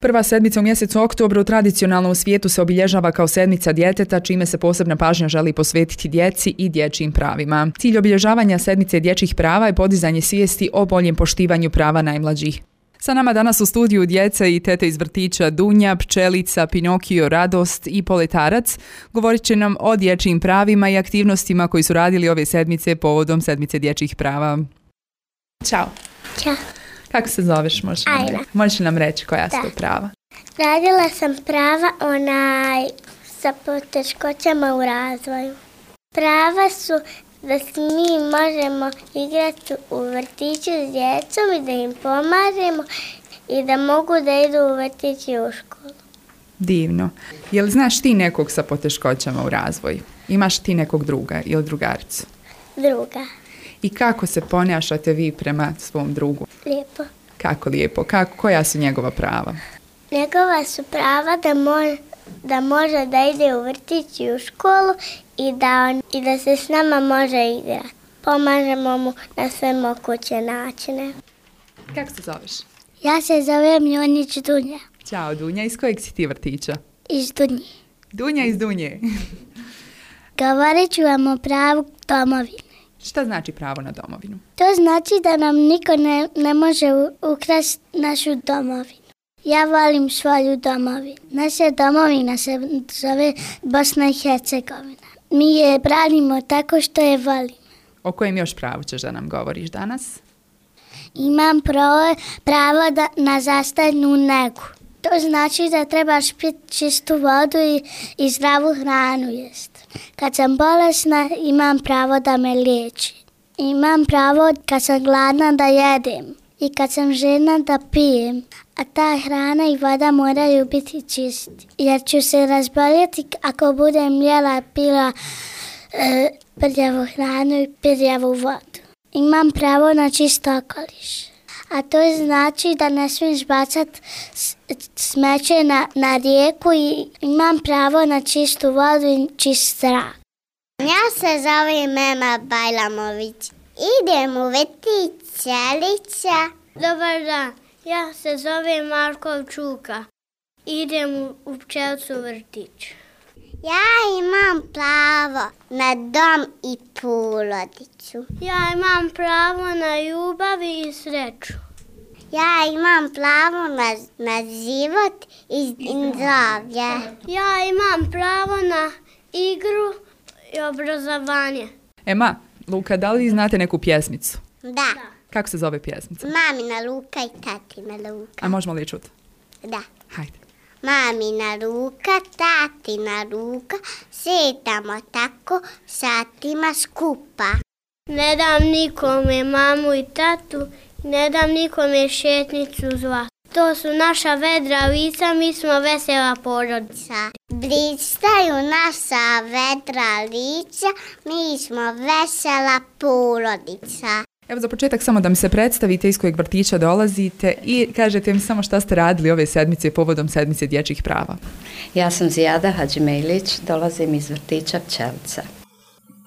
Prva sedmica u mjesecu oktobru tradicionalno u svijetu se obilježava kao sedmica djeteta, čime se posebna pažnja želi posvetiti djeci i dječjim pravima. Cilj obilježavanja sedmice dječjih prava je podizanje svijesti o boljem poštivanju prava najmlađih. Sa nama danas u studiju djece i tete iz vrtića Dunja, Pčelica, Pinokio, Radost i Poletarac. Govorit će nam o dječjim pravima i aktivnostima koji su radili ove sedmice povodom sedmice dječjih prava. Ćao. Ćao. Kako se zoveš? Možeš nam reći koja su to prava? Radila sam prava sa poteškoćama u razvoju. Prava su da se mi možemo igrati u vrtiću s djecom i da im pomažemo i da mogu da idu u vrtić i u školu. Divno. Jel znaš ti nekog sa poteškoćama u razvoju? Imaš ti nekog druga ili drugaricu? Druga. I kako se ponašate vi prema svom drugu? Lijepo. Kako lijepo? Koja su njegova prava? Njegova su prava da može da ide u vrtić i u školu i da se s nama može igrati. Pomažemo mu na sve moguće načine. Kako se zoveš? Ja se zovem Jonić Dunja. Ćao Dunja, iz kojeg si ti vrtića? Iz Dunje. Dunja iz Dunje. Govorit ću vam o pravu domovine. Šta znači pravo na domovinu? To znači da nam niko ne može ukrasti našu domovinu. Ja volim svoju domovinu. Naša domovina se zove Bosna i Hercegovina. Mi je branimo tako što je volimo. O kojem još pravu ćeš da nam govoriš danas? Imam pravo na zdravstvenu negu. To znači da trebaš piti čistu vodu i zdravu hranu jest. Kad sam bolesna, imam pravo da me liječi. Imam pravo kad sam gladna da jedem i kad sam željna da pijem. A ta hrana i voda moraju biti čisti. Jer ću se razboljeti ako budem jela, pila prljavu hranu i prljavu vodu. Imam pravo na čist okoliš. A to znači da ne smiješ bacati smeće na rijeku i imam pravo na čistu vodu i čist zrak. Ja se zovem Mema Bajlamović. Idem u vrtić Ćelića. Dobar dan, ja se zovem Markov Čuka. Idem u Pčelcu vrtić. Ja imam pravo na dom i porodicu. Ja imam pravo na ljubav i sreću. Ja imam pravo na život i zdravlje. Ja imam pravo na igru i obrazovanje. Ema, Luka, da li znate neku pjesmicu? Da. Kako se zove pjesmica? Mamina Luka i tatina Luka. A možemo li je čuti? Da. Hajde. Mamina ruka, tatina ruka, šetamo tako satima skupa. Ne dam nikome mamu i tatu, ne dam nikome šetnicu zlatu. To su naša vedra lica, mi smo vesela porodica. Blistaju naša vedra lica, mi smo vesela porodica. Evo za početak samo da mi se predstavite iz kojeg vrtića dolazite i kažete mi samo šta ste radili ove sedmice povodom sedmice dječjih prava. Ja sam Zijada Hadžimejlić, dolazim iz vrtića Pčelica.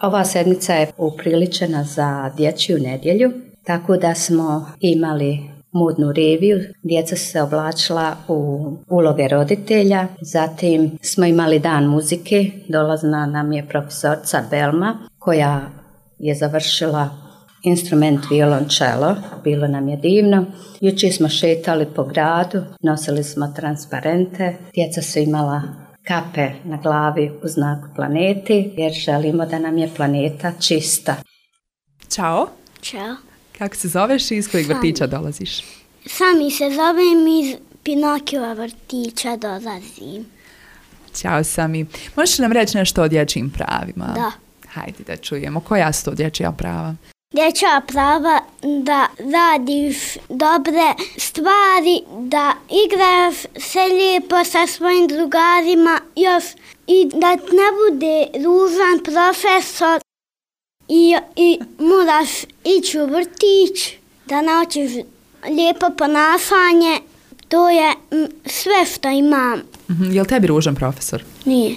Ova sedmica je upriličena za dječju nedjelju, tako da smo imali modnu reviju. Djeca su se oblačila u uloge roditelja, zatim smo imali dan muzike, dolazna nam je profesorica Belma koja je završila instrument violončelo, bilo nam je divno. Jučer smo šetali po gradu, nosili smo transparente, djeca su imala kape na glavi u znaku planeti, jer želimo da nam je planeta čista. Ćao. Ćao. Kako se zoveš i iz kojeg vrtića dolaziš? Sami se zovem, iz Pinokiova vrtića dolazim. Ćao Sami. Možeš nam reći nešto o dječjim pravima? Da. Hajde da čujemo. Koja su to dječja prava? Dječja prava da radiš dobre stvari, da igraš se lijepo sa svojim drugarima još i da ne bude ružan profesor i moraš ići u vrtić, da naučiš lijepo ponašanje. To je sve što imam. Je li tebi ružan profesor? Nije.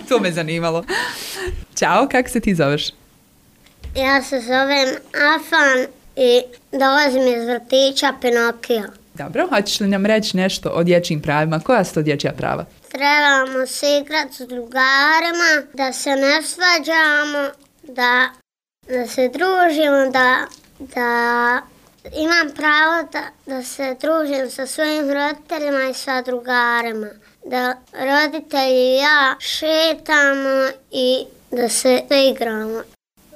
To me zanimalo. Ćao, kako se ti zoveš? Ja se zovem Afan i dolazim iz vrtića Pinokio. Dobro, hoćeš li nam reći nešto o dječjim pravima? Koja su to dječja prava? Trebamo se igrati s drugarima, da se ne svađamo, da se družimo, da imam pravo da se družim sa svojim roditeljima i sa drugarima. Da roditelji i ja šetamo i da se igramo.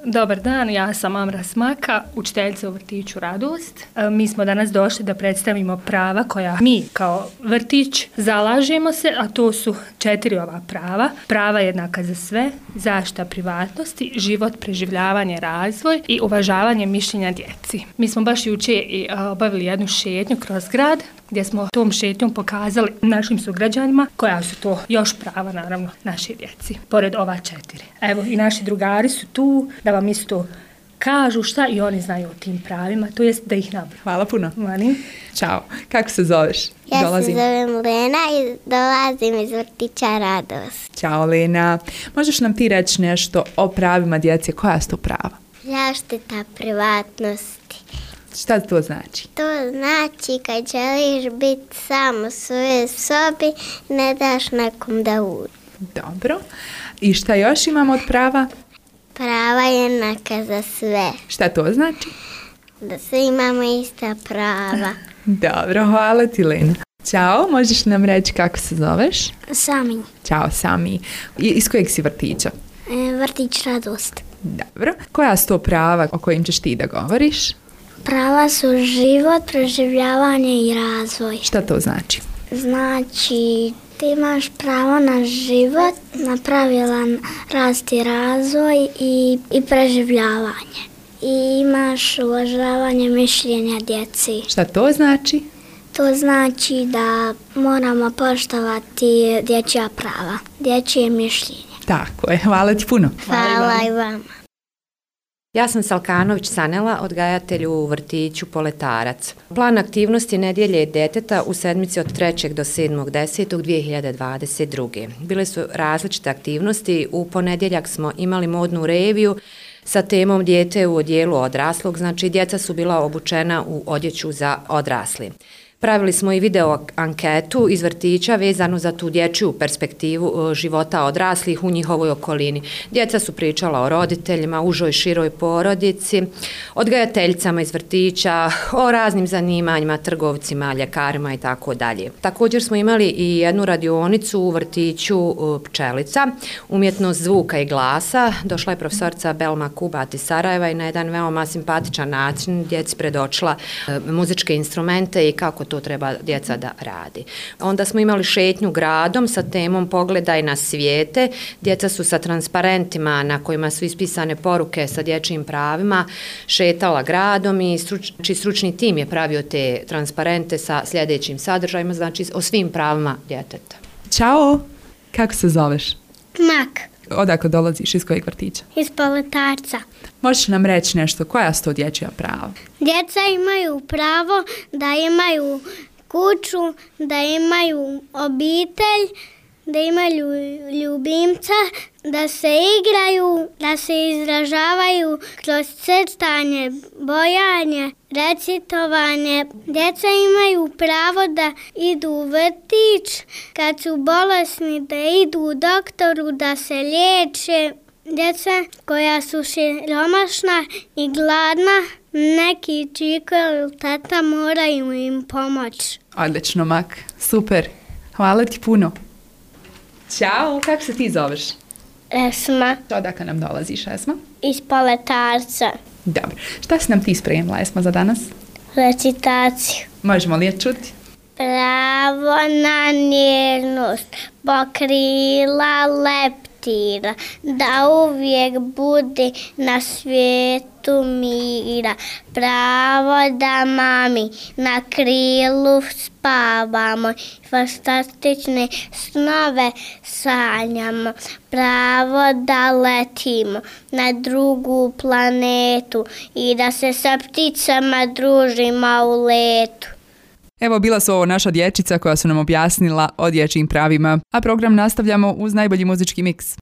Dobar dan, ja sam Amra Smaka, učiteljica u vrtiću Radost. Mi smo danas došli da predstavimo prava koja mi kao vrtić zalažemo se, a to su 4 ova prava. Prava jednaka za sve, zaštita privatnosti, život, preživljavanje, razvoj i uvažavanje mišljenja djeci. Mi smo baš jučer obavili jednu šetnju kroz grad, gdje smo tom šetnjom pokazali našim sugrađanima koja su to još prava, naravno, naše djeci, pored ova 4. Evo, i naši drugari su tu da vam isto kažu šta i oni znaju o tim pravima, to jest da ih nabroju. Hvala puno. Mani. Ćao. Kako se zoveš? Ja se zovem Lena i dolazim iz vrtića Radost. Ćao Lena. Možeš nam ti reći nešto o pravima djece? Koja su to prava? Zaštita privatnosti. Šta to znači? To znači kad želiš biti sam u svojoj sobi, ne daš nekom da uđe. Dobro. I šta još imamo od prava? Prava jednaka za sve. Šta to znači? Da svi imamo ista prava. Dobro, hvala ti Lena. Ćao, možeš nam reći kako se zoveš? Sami. Ćao Sami. Iz kojeg si vrtića? Vrtić Radost. Dobro. Koja su to prava o kojim ćeš ti da govoriš? Prava su život, preživljavanje i razvoj. Šta to znači? Znači, ti imaš pravo na život, na pravilan rast i razvoj i preživljavanje. I imaš uvažavanje mišljenja djeci. Šta to znači? To znači da moramo poštovati dječja prava, dječje mišljenje. Tako je, hvala ti puno. Hvala i vama. Ja sam Salkanović Sanela, odgajatelj u vrtiću Poletarac. Plan aktivnosti Nedjelje djeteta u sedmici od 3. do 7.10.2022. Bile su različite aktivnosti. U ponedjeljak smo imali modnu reviju sa temom dijete u odjelu odraslog, znači djeca su bila obučena u odjeću za odrasli. Pravili smo i video anketu iz vrtića vezano za tu dječju perspektivu života odraslih u njihovoj okolini. Djeca su pričala o roditeljima, užoj široj porodici, odgajateljicama iz vrtića, o raznim zanimanjima, trgovcima, ljekarima i tako dalje. Također smo imali i jednu radionicu u vrtiću Pčelica, umjetnost zvuka i glasa. Došla je profesorica Belma Kubat iz Sarajeva i na jedan veoma simpatičan način djeci predočila muzičke instrumente i kako to treba djeca da radi. Onda smo imali šetnju gradom sa temom Pogledaj na svijete. Djeca su sa transparentima na kojima su ispisane poruke sa dječjim pravima šetala gradom i stručni tim je pravio te transparente sa sljedećim sadržajima, znači o svim pravima djeteta. Ćao, kako se zoveš? Mak. Odakle dolaziš, iz kojeg vrtića? Iz Poletarca. Možeš nam reći nešto, koja su to dječja prava? Djeca imaju pravo da imaju kuću, da imaju obitelj, da imaju ljubimca, da se igraju, da se izražavaju kroz crtanje, bojanje, recitovanje. Djeca imaju pravo da idu u vrtić, kad su bolesni da idu u doktoru, da se liječe. Djeca koja su siromašna i gladna, neki čiko ili tata moraju im pomoći. Odlično, Mak. Super. Hvala ti puno. Ćao, kako se ti zoveš? Esma. Odakle nam dolaziš, Esma? Iz Poletarca. Dobro. Šta si nam ti spremila, Esma, za danas? Recitaciju. Možemo li je čuti? Pravo na nježnost, pokrila leptira, da uvijek bude na svijetu mira. Pravo da mami na krilu spavamo, fantastične snove sanjamo. Pravo da letimo na drugu planetu i da se sa pticama družimo u letu. Evo, bila su ovo naša dječica koja su nam objasnila o dječjim pravima, a program nastavljamo uz najbolji muzički miks.